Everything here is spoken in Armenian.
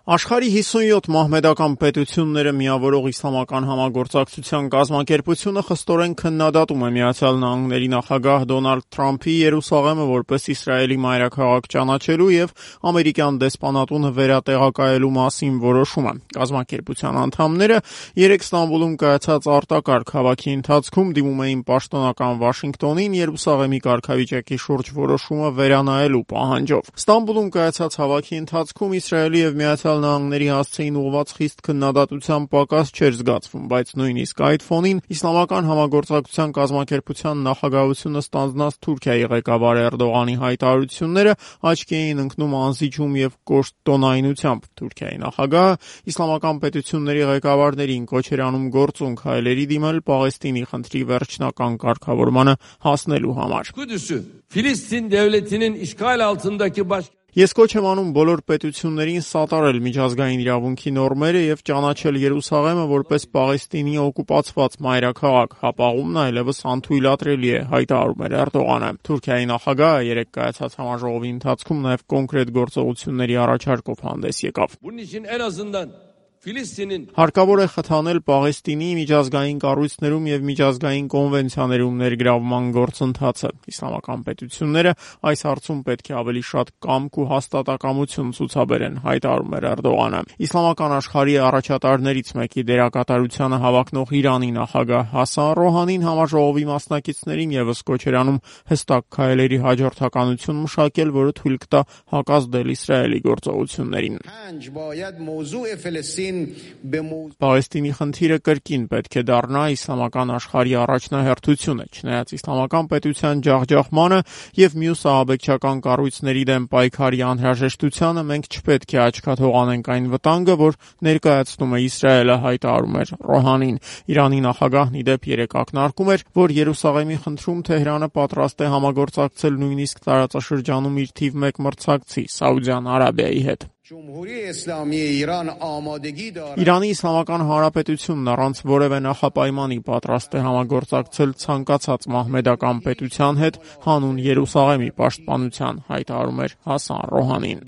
Աշխարհի 57 մահմեդական պետությունները միավորող իսլամական համագործակցության կազմակերպությունը խստորեն քննադատում է ԱՄՆ նախագահ Դոնալդ Թրամփի Երուսաղեմը որպես Իսրայելի մայրաքաղաք ճանաչելու եւ ամերիկյան դեսպանատունը վերատեղակայելու մասին որոշումը։ Կազմակերպության անդամները երեկ Ստամբուլում կայացած արտակարգ հավաքի ընթացքում դիմում էին պաշտոնական Վաշինգտոնին Երուսաղեմի կարգավիճակի շուրջ որոշումը վերանայելու պահանջով։ Ստամբուլում կայացած հավաքի ընթացքում Իսրայելի եւ ԱՄՆ-ի հասցեին ուղղված խիստ քննադատության պակաս չէր զգացվում, բայց նույնիսկ այդ ֆոնին Իսլամական համագործակցության կազմակերպության նախագահությունը ստանձնած Թուրքիայի ղեկավար Էրդողանի հայտարարությունները աչքի էին ընկնում անզիջում եւ կոշտ տոնայնությամբ։ Թուրքիայի նախագահը իսլամական պետությունների ղեկավարներին կոչ էր անում գործուն քայլերի դիմել Պաղեստինի խնդրի վերջնական կարգավորմանը հասնելու համար։ Filistin devletinin işgal altındaki Ես կոչ եմ անում բոլոր պետություններին սատարել միջազգային իրավունքի նորմերը եւ ճանաչել Երուսաղեմը որպես Պաղեստինի օկուպացված մայրաքաղաք։ Հապաղումն այլևս անթույլատրելի է, հայտարարում էր Էրդողանը։ Թուրքիայի նախագահը երեկ կայացած համաժողովի ընթացքում նաեւ կոնկրետ գործողությունների առաջարկով հանդես եկավ։ Հարկավոր է խթանել Պաղեստինի միջազգային կառույցներում եւ միջազգային կոնվենցիաներում ներգրավման գործընթացը։ Իսլամական պետությունները այս հարցում պետք է ավելի շատ կամք ու հաստատակամություն ցուցաբերեն, հայտարարում էր Էրդողանը։ Իսլամական աշխարհի առաջատարներից մեկի դերակատարությանը հավակնող Իրանի նախագահ Հասան Ռոհանին համաժողովի մասնակիցներին եւս կոչ էր անում հստակ քայլերի հաջորդականություն մշակել, որը թույլ կտա հակազդել Իսրայելի գործողություններին։ Պաղեստինի խնդիրը կրկին պետք է դառնա իսլամական աշխարհի առաջնահերթությունը, չնայած իսլամական պետության ջախջախմանը եւ մյուս ահաբեկչական կառույցների դեմ պայքարի անհրաժեշտությանը մենք չպետք է աչքաթող անենք այն վտանգը, որ ներկայացնում է Իսրայելը, հայտարարում էր Ռոհանին։ Իրանի նախագահն ի դեպ երեկ ակնարկում էր, որ Երուսաղեմի խնդրում Թեհրանը պատրաստ է համագործակցել նույնիսկ տարածաշրջանում իր թիվ 1 մրցակցի Սաուդյան Արաբիայի հետ։ Իրանի Իսլամական Հանրապետությունն առանց որևէ նախապայմանի պատրաստ է համագործակցել ցանկացած մահմեդական պետության հետ հանուն Երուսաղեմի պաշտպանության, հայտարարում էր Հասան Ռոհանին։